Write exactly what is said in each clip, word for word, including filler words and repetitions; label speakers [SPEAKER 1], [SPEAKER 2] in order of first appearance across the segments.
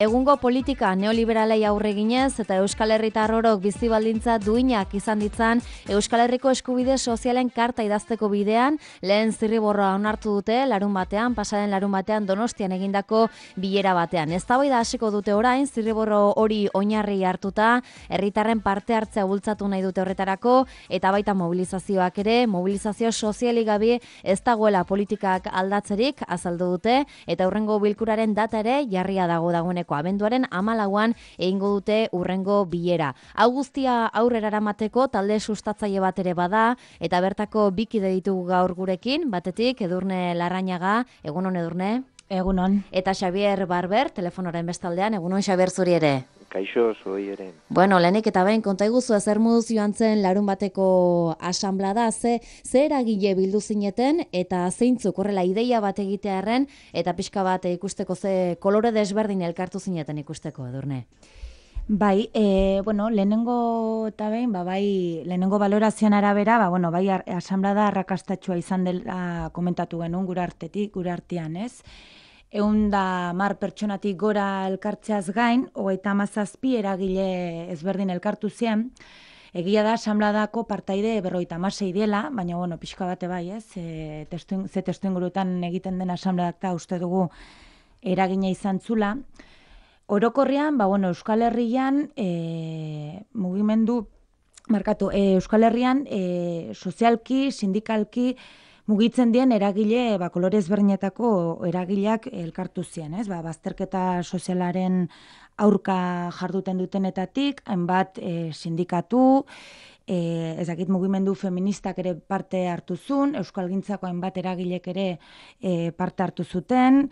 [SPEAKER 1] Egungo politika neoliberalei aurre ginez eta Euskal Herritar orok bizi baldintza duinak izan ditzan Euskal Herriko eskubide sozialen karta idazteko bidean lehen zirriborroa onartu dute larun batean, pasaren larun batean Donostian egindako bilera batean. Eztabaida hasiko dute orain zirriborro hori oinarri hartuta, herritarren parte hartzea bultzatu nahi dute horretarako eta baita mobilizazioak ere, mobilizazio sozialik gabe ez dagoela politikak aldatzerik azaldu dute eta hurrengo bilkuraren data ere jarria dago dagoeneko. Abenduaren hamalauan egingo dute hurrengo bilera. Hau guztia aurrera eramateko talde sustatzaile bat ere bada eta bertako bikide ditugu gaur gurekin, batetik Edurne Larrañaga, egunon Edurne.
[SPEAKER 2] Egunon.
[SPEAKER 1] Eta Xabier Barber, telefonoren bestaldean, egunon Xabier zuri ere.
[SPEAKER 3] Kaixo, zuei ere.
[SPEAKER 1] Bueno, lehenik eta behin, konta iguzu ezer moduz joan zen larun bateko asanblada, ze, ze eragile bildu zineten, eta zeintzuk horrela ideia bat egitearren, eta pixka bat ikusteko ze kolore desberdin elkartu zineten ikusteko, Edurne.
[SPEAKER 2] Bai, e, bueno, lehenengo eta behin, ba, bai, lehenengo balorazioan arabera, ba, bueno, bai, asanblada arrakastatxua izan dela komentatu genuen gure artetik, gure artean, ez? Egun da mar pertsonatik gora elkartzeaz gain, hogeita hamazazpi eragile ezberdin elkartu zien. Egia da, asanbladako partaide berrogeita hamasei dela, baina, bueno, pixka bate bai, ez? E, testu, ze testu ingurutan egiten den asanbladak da uste dugu eragina izan zula. Orokorrean, ba, bueno, Euskal Herrian, e, mugimendu, markatu, e, Euskal Herrian, e, sozialki, sindikalki, mugitzen dien eragile, ba, kolore ezberdinetako eragileak elkartu ziren, ez? Ba, bazterketa sozialaren aurka jarduten dutenetatik, hainbat e, sindikatu, e, ezakit mugimendu feministak ere parte hartu zuen, Euskalgintzako hainbat eragilek ere e, parte hartu zuten,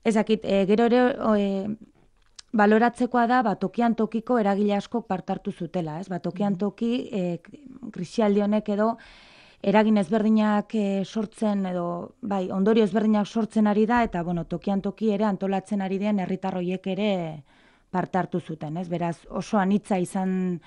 [SPEAKER 2] ezakit, e, gero ere e, baloratzekoa da, ba, tokian tokiko eragile askok parte hartu zutela, ez? Ba, tokian toki, e, krisialdi honek edo, eragin ezberdinak e, sortzen edo bai, ondorio ezberdinak sortzen ari da eta bueno, tokian toki ere antolatzen ari den herritar horiek ere parte hartu zuten, ez? Beraz, oso anitza izan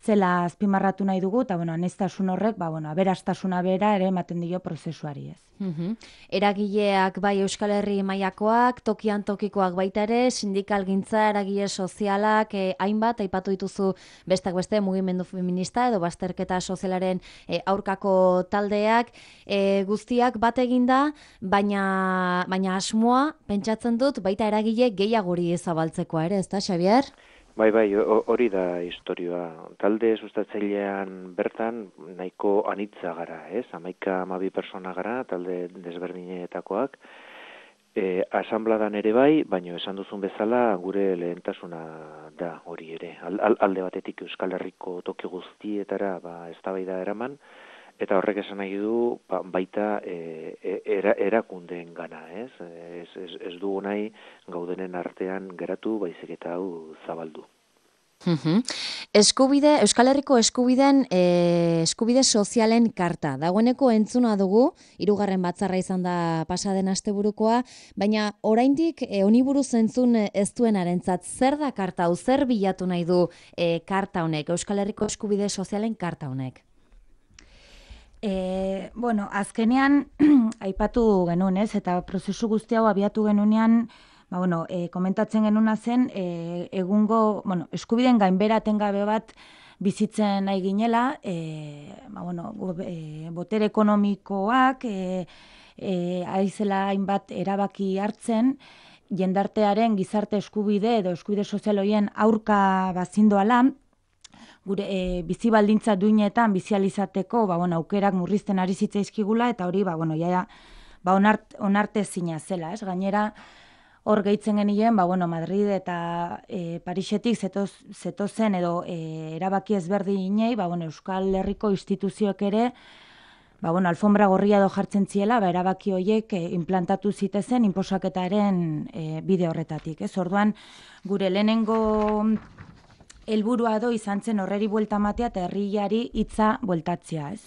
[SPEAKER 2] zela azpimarratu nahi dugu eta bueno, aniztasun horrek, ba bueno, aberastasuna bera ere ematen dio prozesuari, ez?
[SPEAKER 1] Uhum. Eragileak bai Euskal Herri mailakoak, tokian tokikoak baita ere, sindikalgintza, eragile sozialak, eh, hainbat aipatu dituzu bestak beste mugimendu feminista edo bazterketa sozialaren eh, aurkako taldeak, eh, guztiak bat eginda, baina baina asmoa pentsatzen dut baita eragile gehiagori zabaltzekoa ere, ezta Xabier?
[SPEAKER 3] Bai, bai, hori da historioa. Talde sustatzailean bertan nahiko anitza gara, ez? Hamaika hamabi persona gara, talde desberdinetakoak. E, asanbladan ere bai, baina esan duzun bezala gure lehentasuna da hori ere. Al, alde batetik Euskal Herriko toki guztietara ba, eztabaida eraman, eta horrek esan nahi du ba, baita e, era, erakundeen gana, ez? Ez, ez, ez dugu nahi gaudenen artean geratu baizik eta hau zabaldu.
[SPEAKER 1] Uhum. Eskubide, Euskal Herriko eskubiden e, eskubide sozialen karta. Dagoeneko entzuna dugu, hirugarren batzarra izan da pasaden asteburukoa, baina oraindik e, honi buruz entzun ez duenarentzat zer da karta hau, zer bilatu nahi du e, karta honek, Euskal Herriko eskubide sozialen karta honek?
[SPEAKER 2] E, bueno, azkenean aipatu genuen, ez? Eta prozesu guzti hau abiatu genunean, ba, bueno, e, komentatzen genuna zen, e, egungo, bueno, eskubideen gainbera etengabe bat bizitzen nahi ginela, e, ba, bueno, e, botere ekonomikoak, e, e, aizela hainbat erabaki hartzen, jendartearen gizarte eskubide edo eskubide sozial horien aurka bazindoala, gure e, bizi baldintza duinetan bizializateko, ba, bueno, aukerak murrizten ari zitzaizkigula, eta hori, ba, bueno, ja, ba, onart, onartezina zela, ez? Gainera, hor gehitzen genien, ba, bueno, Madrid eta e, Parisetik zetoz, zetozen edo e, erabaki ezberdinei, ba, bueno, Euskal Herriko instituzioek ere, ba, bueno, alfombra gorria edo jartzen ziela, ba, erabaki horiek e, implantatu zitezen inposaketaren e, bide horretatik, ez? Orduan, gure lehenengo helburua do izan zen horreri buelta matea eta herriari hitza bueltatzea, ez?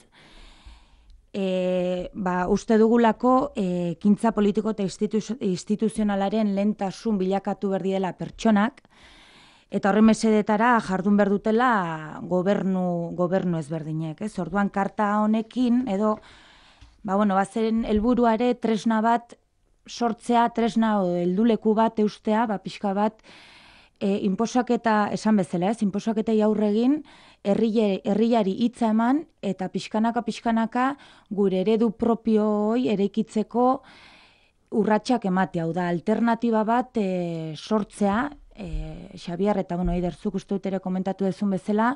[SPEAKER 2] E, ba, uste dugulako e, ekintza politiko eta institu- instituzionalaren lehentasun bilakatu berdi dela pertsonak, eta horren mesedetara jardun behar dutela gobernu, gobernu ezberdinek, ez? Orduan karta honekin, edo, ba, bueno, bazen helburuare tresna bat sortzea, tresna o helduleku bat eustea, ba, pixka bat, e, inposaketa, esan bezala ez, inposaketei aurre egin, herriari hitza eman, eta pixkanaka-pixkanaka gure eredu propioi eraikitzeko urratsak ematea, hau da, alternatiba bat e, sortzea, e, Xabier, eta bueno, Eiderzuk uste dut ere komentatu dezun bezala,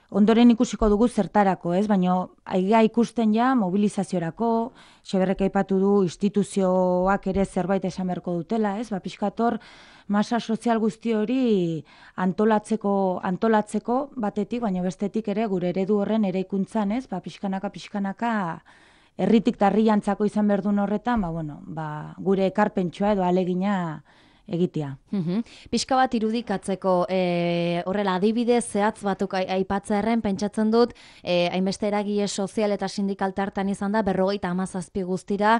[SPEAKER 2] ondoren ikusiko dugu zertarako, ez? Baina aiga ikusten ja mobilizaziorako, Xabierrek aipatu du instituzioak ere zerbait esan beharko dutela, ez? Ba, pixkator, masa sozial guzti hori antolatzeko, antolatzeko batetik, baina bestetik ere gure eredu horren eraikuntzan, ez? Ba, pixkanaka, pixkanaka, herritik tarriantzako izan behar duen horretan, ba, bueno, ba, gure ekarpentsua edo alegina egitea.
[SPEAKER 1] Uhum. Pixka bat irudikatzeko, e, horrela adibidez zehatz batuk aipatzearen pentsatzen dut, e, hainbeste eragile sozial eta sindikaltartan izan da, berrogeita hamazazpi guztira,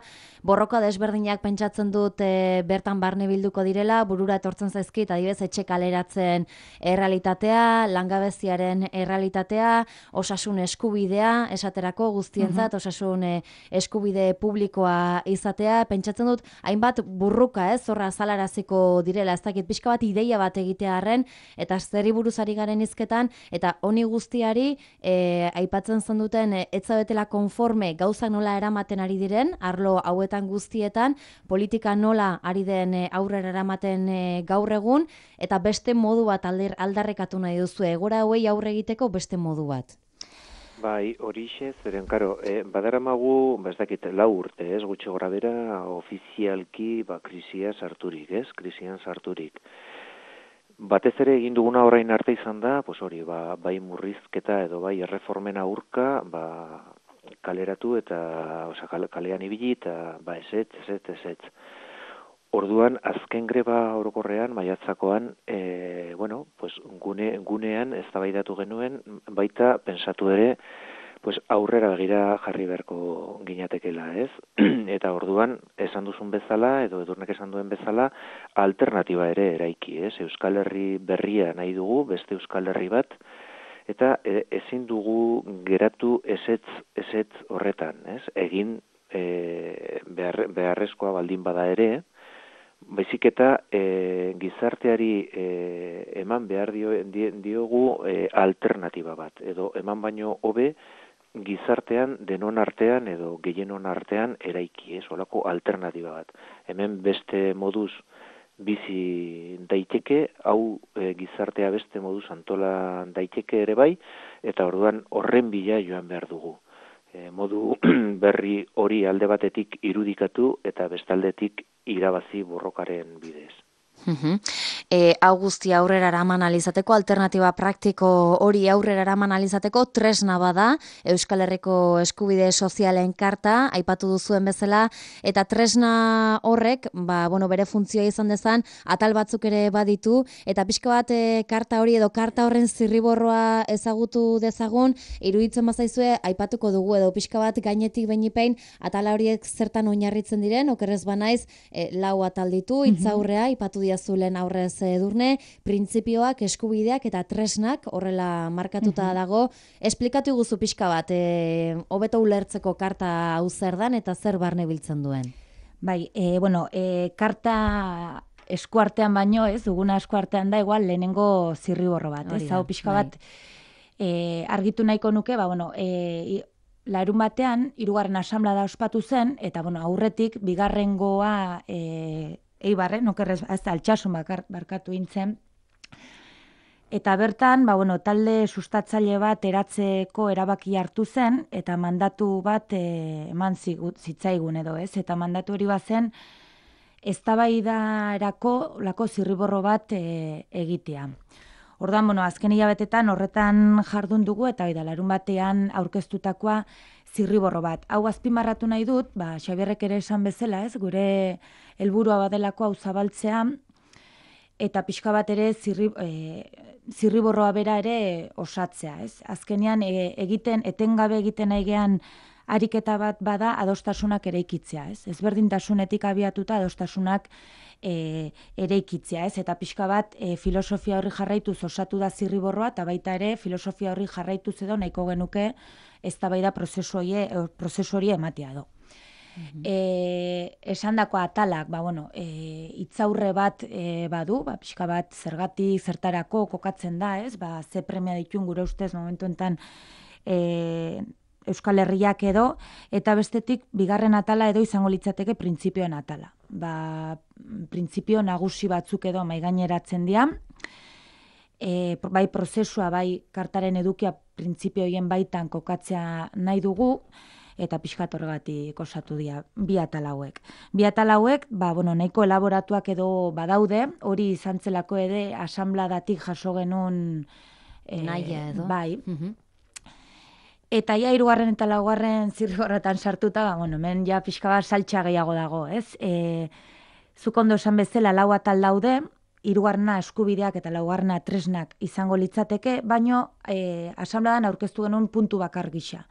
[SPEAKER 1] borroka desberdinak pentsatzen dut e, bertan barne bilduko direla, burura etortzen zaizkit, adibidez etxe kaleratzen errealitatea, langabeziaren errealitatea, osasun eskubidea, esaterako guztientzat, osasun e, eskubide publikoa izatea, pentsatzen dut, hainbat burruka, ez, horra azalaraziko direla, ez dakit pixka bat ideia bat egitearren, eta zeri buruzari garen izketan, eta honi guztiari e, aipatzen zen duten e, etzabetela konforme gauzak nola eramaten ari diren, arlo hauetan guztietan, politika nola ari den e, aurrera eramaten e, gaur egun, eta beste modu bat alder, aldarrekatu nahi duzu, egora hauei aurre egiteko beste modu bat.
[SPEAKER 3] Bai, horixe, zeren, karo, e, badaramagu, ba ez dakit, lau urte, ez, gutxi gora bera, ofizialki, ba, krisia sarturik, ez, krisian sarturik. Batez ere egin duguna orain arte izan da, pues hori, ba, bai murrizketa edo bai erreformen aurka, ba, kaleratu eta, oza, kalean ibili eta, ba, ezetz, ezetz, ezetz. Orduan, azken greba orokorrean, maiatzakoan, e, bueno, pues, gune, gunean eztabaidatu genuen, baita pensatu ere, pues, aurrera begira jarri beharko ginatekela, ez? Eta orduan, esan duzun bezala, edo edurnek esan duen bezala, alternatiba ere eraiki, ez? Euskal Herri berria nahi dugu, beste Euskal Herri bat, eta e, ezin dugu geratu ezetz, ezetz horretan, ez? Egin e, behar, beharrezkoa baldin bada ere, baizik eta e, gizarteari e, eman behar dio, di, diogu e, alternatiba bat, edo eman baino hobe gizartean denon artean edo gehienon artean eraiki, ez, olako alternatiba bat. Hemen beste moduz bizi daiteke, hau e, gizartea beste moduz antola daiteke ere bai, eta orduan horren bila joan behar dugu. E, modu berri hori alde batetik irudikatu eta bestaldetik irabazi borrokaren bidez.
[SPEAKER 1] Uhum. E, hau guztia aurrera eraman alizateko, alternatiba praktiko hori aurrera eraman alizateko tresna bada, Euskal Herriko eskubide sozialen karta, aipatu duzuen bezala, eta tresna horrek, ba, bueno, bere funtzioa izan dezan, atal batzuk ere baditu, eta pixka bat e, karta hori edo karta horren zirriborroa ezagutu dezagun, iruditzen bazaizue, aipatuko dugu, edo pixka bat gainetik beinipein, atala horiek zertan oinarritzen diren, okerrez banaiz, e, lau atal ditu, itzaurrea, aipatu diazulen aurrez edurne, printzipioak, eskubideak eta tresnak horrela markatuta dago. Esplikatu guzu pixka bat, e, hobeto ulertzeko karta hau zer dan eta zer barne biltzen duen?
[SPEAKER 2] Bai, e, bueno, e, karta eskuartean baino, ez, duguna eskuartean da, igual lehenengo zirriborro bat, ez, hau pixka bat e, argitu nahiko nuke, ba, bueno, e, larun batean, hirugarren asanblada ospatu zen, eta, bueno, aurretik, bigarrengoa, e, Eibarre, nokerrez, ez da, altxasun barkatu intzen. Eta bertan, ba, bueno, talde sustatzaile bat eratzeko erabaki hartu zen, eta mandatu bat e, eman zitzaigun edo, ez? Eta mandatu hori bazen, eztabaidarako lako zirriborro bat e, egitea. Orduan, bueno, azken hilabetetan horretan jardun dugu, eta oida, larun batean aurkeztutakoa zirriborro bat. Hau azpimarratu nahi dut, ba, Xabierrek ere esan bezala, ez, gure helburua badelako hau zabaltzea, eta pixka bat ere zirri, e, zirriborroa bera ere osatzea, ez. Azkenean e, egiten, etengabe egiten aigean ariketa bat bada adostasunak eraikitzea, ez. Ezberdintasunetik abiatuta adostasunak e, eraikitzea, ez. Eta pixka bat e, filosofia horri jarraituz osatu da zirriborroa, eta baita ere filosofia horri jarraituz edo nahiko genuke eztabaida prozesu hori ematea do. E, esandako atalak, ba, bueno, e, itzaurre bat e, badu, ba, pixka bat zergatik, zertarako kokatzen da, ez? Ba, ze premia ditun gure ustez momentu enten e, Euskal Herriak edo, eta bestetik bigarren atala edo izango litzateke printzipioen atala. Ba, printzipio nagusi batzuk edo maigaineratzen dira, e, bai prozesua, bai kartaren edukia printzipioien baitan kokatzea nahi dugu, eta pixkat horregatik osatu dira bi atal hauek. Bi atal hauek, ba, bueno, nahiko elaboratuak edo badaude, hori izan zelako ere asanbladatik jaso genuen
[SPEAKER 1] e, nahia edo.
[SPEAKER 2] Bai. Uh-huh. Eta ja hirugarren eta laugarren zirriborrotan sartuta, ba, bueno, hemen ja pixka bat saltxa gehiago dago, ez? E, zuk ondo esan bezala lau atal daude, hirugarrena eskubideak eta laugarrena tresnak izango litzateke, baino e, asanbladan aurkeztu genuen puntu bakar gisa.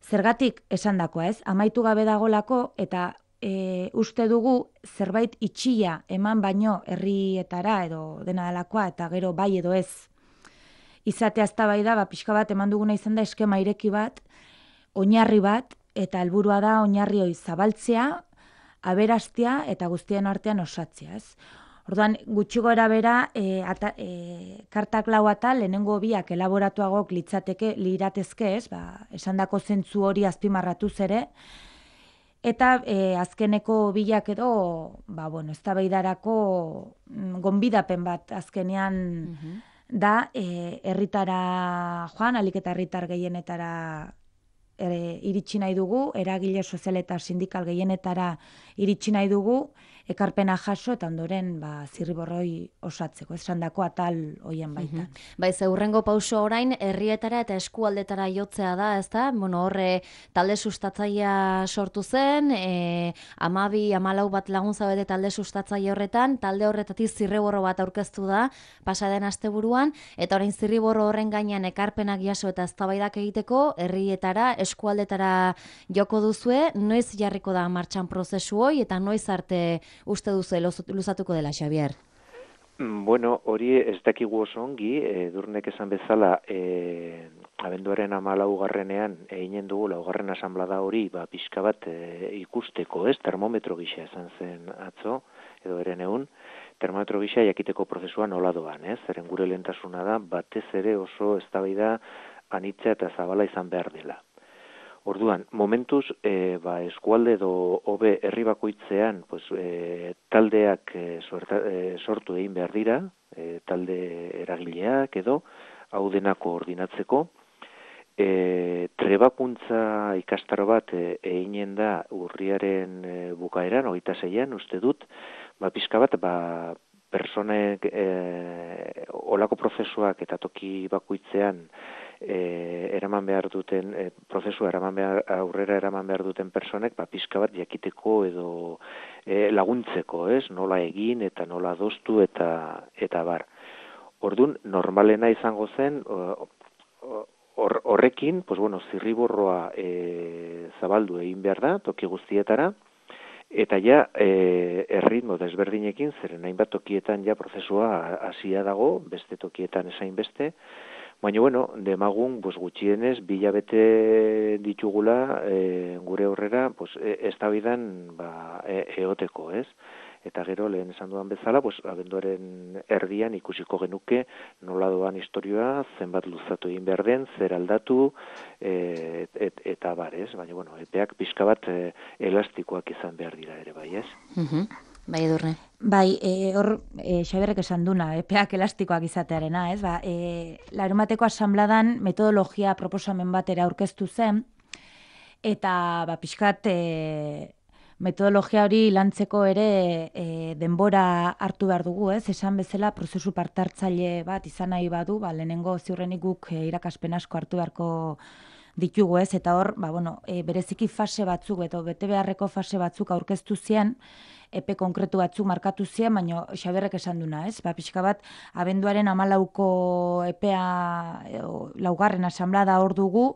[SPEAKER 2] Zergatik esandakoa, ez? Amaitu gabe dagolako eta e, uste dugu zerbait itxia eman baino herrietara edo dena delakoa eta gero bai edo ez izatea eztabaida, ba pixka bat eman duguna izan da eskema ireki bat, oinarri bat eta helburua da oinarri hori zabaltzea, aberastea eta guztien artean osatzea, ez? Orduan, gutxi gora bera, e, ata, e, kartak lau atal, lehenengo biak elaboratuagok litzateke, liratezke ez, ba, esandako zentzu hori azpimarratuz ere, eta e, azkeneko bilak edo, ba, bueno, eztabaidarako gonbidapen bat azkenean uh-huh. da, e, herritara joan, alik eta herritar gehienetara e, iritsi nahi dugu, eragile sozial eta sindikal gehienetara iritsi nahi dugu, ekarpena jaso eta ondoren ba, zirriborroi osatzeko, esandako atal hoien baitan.
[SPEAKER 1] Mm-hmm. Bai, ze hurrengo pauso orain, herrietara eta eskualdetara jotzea da, ez da? Bueno, horre talde sustatzaia sortu zen, e, amabi, amalau bat lagun zabete talde sustatzaia horretan, talde horretatik zirriborro bat aurkeztu da, pasaden asteburuan, eta orain zirriborro horren gainean ekarpenak jaso eta eztabaidak egiteko, herrietara, eskualdetara joko duzue, noiz jarriko da martxan prozesu hoi, eta noiz arte uste duzu luzatuko dela, Xabier?
[SPEAKER 3] Bueno, hori ez dakigu oso ongi, e, Durnek esan bezala, e, abenduaren hamalaugarrenean eginen dugu laugarren asanblada hori, ba, pixka bat e, ikusteko, ez, termometro gisa esan zen atzo, edo eren egun, termometro gisa jakiteko prozesua nola doan, ez, zeren gure lehentasuna da, batez ere oso eztabaida anitza eta zabala izan behar dela. Orduan, momentuz, e, ba, eskualde edo hobe herri bakoitzean pues, e, taldeak e, suerta, e, sortu egin behar dira, e, talde eragileak edo, hau dena koordinatzeko. E, trebakuntza ikastaro bat e, eginen da urriaren e, bukaeran, hogeita zeian, uste dut, ba, pixka bat, ba, personek e, olako prozesuak eta toki bakoitzean E, eraman behar duten, e, prozesua eraman behar, aurrera eraman behar duten personek, ba, pixka bat jakiteko edo e, laguntzeko, ez? Nola egin eta nola adostu eta eta bar. Orduan, normalena izango zen, or, horrekin, pues bueno, zirriborroa e, zabaldu egin behar da, toki guztietara, eta ja, e, erritmo desberdinekin, zeren hainbat tokietan ja prozesua hasia dago, beste tokietan esain beste, baina, bueno, demagun, pues, gutxienez, bilabete ditugula e, gure horrera, pues, eztabaidan ba, e, eoteko, ez? Eta gero, lehen esan dudan bezala, pues, abenduaren erdian ikusiko genuke nola doan historioa, zenbat luzatu egin behar den, zer aldatu, e, et, eta bar, ez? Baina, bueno, epeak pixka bat e, elastikoak izan behar dira ere, bai, ez?
[SPEAKER 1] Mhm. Bai, Edurne.
[SPEAKER 2] Bai, e, hor, e, Xaberrek esan duna, epeak elastikoak izatearena, ez? Ba, e, larumateko asanbladan metodologia proposamen batera aurkeztu zen, eta ba, pixkat e, metodologia hori lantzeko ere e, denbora hartu behar dugu, ez? Esan bezala prozesu partartzaile bat izan nahi badu, ba, lehenengo ziurrenik guk e, irakaspen asko hartu beharko ditugu, ez? Eta hor, ba, bueno, e, bereziki fase batzuk, edo bete beharreko fase batzuk aurkeztu zien, epe konkretu batzuk markatu ziren, baina Xaberrek esan duna, ez? Ba, pixka bat, abenduaren hamalauko epea, o, laugarren asanblada hor dugu,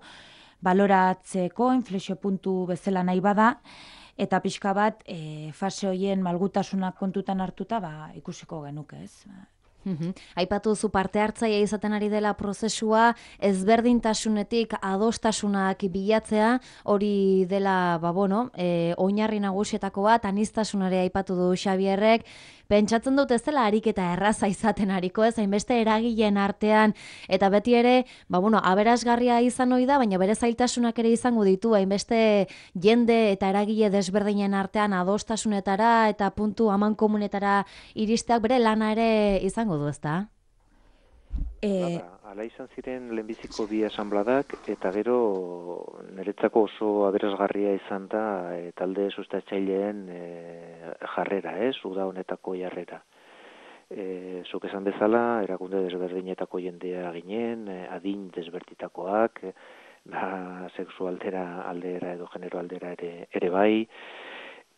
[SPEAKER 2] baloratzeko, inflexio puntu bezala nahi bada, eta pixka bat, e, fase horien malgutasunak kontutan hartuta, ba, ikusiko genuke, ez?
[SPEAKER 1] Mhm. Aipatu zu parte hartzaile izaten ari dela prozesua, ezberdintasunetik adostasunak bilatzea, hori dela, ba bueno, e, oinarri nagusietako bat, aniztasunare aipatu du Xabierrek. Pentsatzen dut ez dela ariketa erraza izaten ariko, ez hainbeste eragileen artean, eta beti ere, ba bueno, aberasgarria izan ohi da, baina bere zailtasunak ere izango ditu, hainbeste jende eta eragile desberdinen artean adostasunetara eta puntu amankomunetara iristeak bere lana ere izango du, ezta?
[SPEAKER 2] E,
[SPEAKER 3] Hala izan ziren lehenbiziko bi asanbladak, eta gero niretzako oso aberasgarria izan da e, talde sustatzaileen e, jarrera, ez, uda honetako jarrera. E, zuk esan bezala, erakunde desberdinetako jendea ginen, e, adin desberditakoak, e, na sexualdera aldera edo genero aldera ere, ere bai.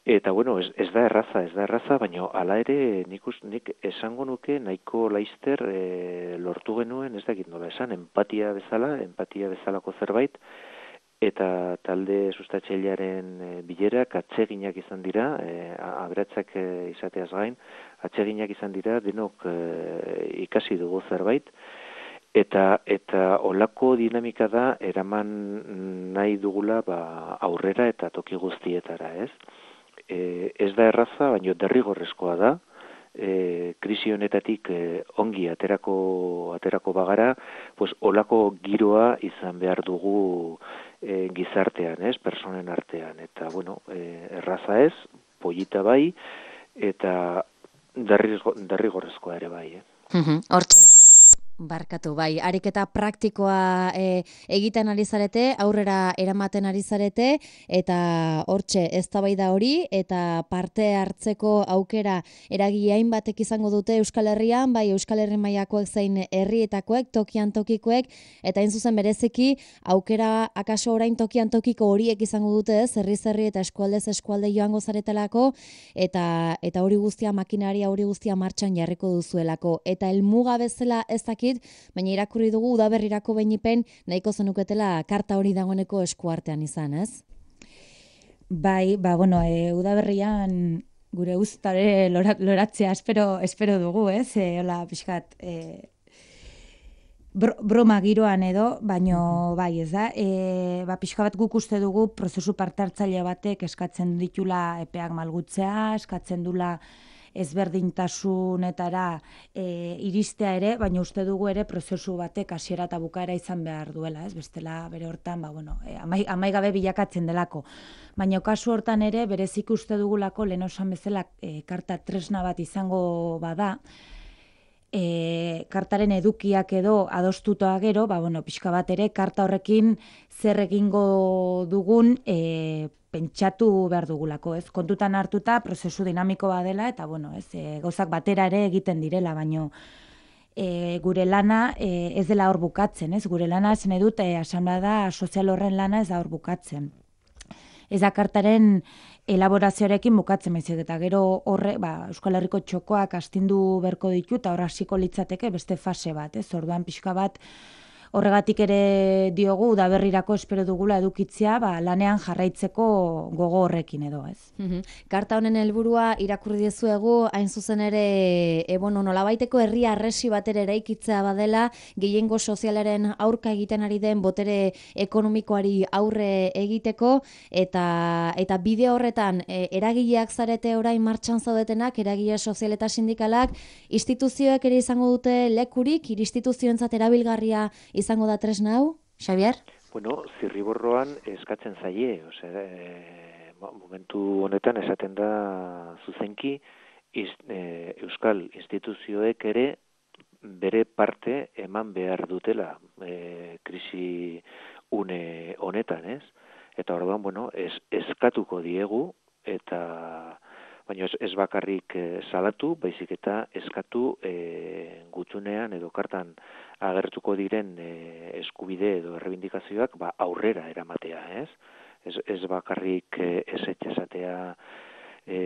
[SPEAKER 3] Eta, bueno, ez, ez da erraza, ez da erraza, baina hala ere nik, nik esango nuke nahiko laizter e, lortu genuen, ez dakit nola esan, empatia bezala, empatia bezalako zerbait, eta talde sustatzailearen e, bilerak atseginak izan dira, e, aberatsak e, izateaz gain, atseginak izan dira, denok e, ikasi dugu zerbait, eta eta olako dinamika da eraman nahi dugula ba, aurrera eta toki guztietara, ez? E, ez da erraza, baina derrigorrezkoa da, e, krisi honetatik e, ongi aterako aterako bagara, pues olako giroa izan behar dugu e, gizartean, ez, personen artean, eta bueno, e, erraza ez, polita bai, eta derrigorrezkoa ere bai, eh?
[SPEAKER 1] Hortxe. Barkatu, bai, ariketa praktikoa e, egiten ari zarete, aurrera eramaten ari zarete, eta hortxe eztabaida hori, eta parte hartzeko aukera eragile hainbatek izango dute Euskal Herrian, bai Euskal Herri mailakoek zein herrietakoek, tokian tokikoek, eta hain zuzen bereziki aukera akaso orain tokian tokiko horiek izango dute, ez, herriz herri eta eskualdez eskualde joango zaretelako, eta eta hori guztia makinaria hori guztia martxan jarriko duzuelako, eta helmuga bezala ez dakit, baina irakurri dugu udaberrirako behinipen nahiko zenuketela karta hori dagoeneko eskuartean izan, ez?
[SPEAKER 2] Bai, ba, bueno, e, udaberrian gure uztare loratzea espero, espero dugu, ez? E, hola, pixkat, e, bro, broma giroan edo, baino bai, ez da? E, ba, pixka bat guk uste dugu prozesu parte hartzaile batek eskatzen ditula epeak malgutzea, eskatzen dula ezberdintasunetara e, iristea ere, baina uste dugu ere prozesu batek hasiera eta bukaera izan behar duela, ez? Bestela bere hortan, ba, bueno, e, amai, amaigabe bilakatzen delako. Baina kasu hortan ere, berezik uste dugulako, lehen osan bezala, e, karta tresna bat izango bada, e, kartaren edukiak edo adostutoa gero, ba, bueno, pixka bat ere, karta horrekin zer egingo dugun, e, pentsatu behar dugulako, ez? Kontutan hartuta prozesu dinamiko badela eta bueno, ez, e, gauzak batera ere egiten direla, baino e, gure lana e, ez dela hor bukatzen, ez? Gure lana zen edut e, asanblada sozial horren lana ez da hor bukatzen. Ez da kartaren elaborazioarekin bukatzen baizik eta gero horre, ba, Euskal Herriko txokoak astindu berko ditu eta hor hasiko litzateke beste fase bat, ez? Orduan pixka bat horregatik ere diogu udaberrirako espero dugula edukitzea, ba, lanean jarraitzeko gogo horrekin edo, ez.
[SPEAKER 1] Karta honen helburua irakurri dizuegu, hain zuzen ere, e, bueno, nolabaiteko herri arresi batera eraikitzea badela, gehiengo sozialaren aurka egiten ari den botere ekonomikoari aurre egiteko, eta eta bide horretan e, eragileak zarete orain martxan zaudetenak, eragile sozial eta sindikalak, instituzioek ere izango dute lekurik, instituzioentzat erabilgarria izango da tresna hau, Xabier?
[SPEAKER 3] Bueno, zirriborroan eskatzen zaie, osea, e, momentu honetan esaten da zuzenki, iz, e, Euskal instituzioek ere bere parte eman behar dutela e, krisi une honetan, ez? Eta orduan, bueno, ez, eskatuko diegu, eta baina ez, ez bakarrik e, salatu, baizik eta eskatu e, gutxunean edo kartan agertuko diren e, eskubide edo errebindikazioak ba, aurrera eramatea, ez? Ez, ez bakarrik e, ezetxe esatea e,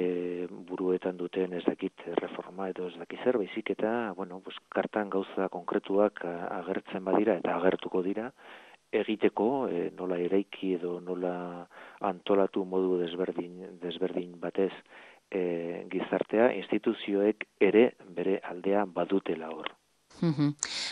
[SPEAKER 3] buruetan duten ez dakit reforma edo ez dakit zer, baizik eta, bueno, pues, kartan gauza konkretuak agertzen badira eta agertuko dira, egiteko e, nola eraiki edo nola antolatu modu desberdin, desberdin batez e, gizartea, instituzioek ere bere aldea badutela hor.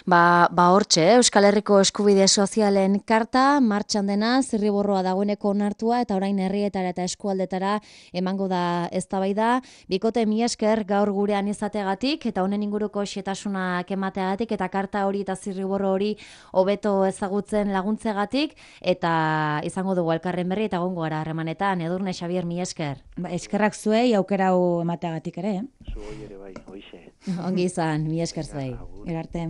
[SPEAKER 1] Ba, ba hortxe, Euskal Herriko eskubide sozialen karta, martxan dena, zirriborroa dagoeneko onartua, eta orain herrietara eta eskualdetara emango da eztabaida. Bikote mi esker gaur gurean izateagatik, eta honen inguruko xetasunak emateagatik, eta karta hori eta zirriborro hori hobeto ezagutzen laguntzegatik, eta izango dugu elkarren berri, eta gongo gara harremanetan. Edurne Xabier, mi esker.
[SPEAKER 2] Ba, eskerrak zuei aukera hau emateagatik ere, eh?
[SPEAKER 3] Zu hoi ere bai, hoixe.
[SPEAKER 1] Ongi izan, mi esker zuei. Erarte.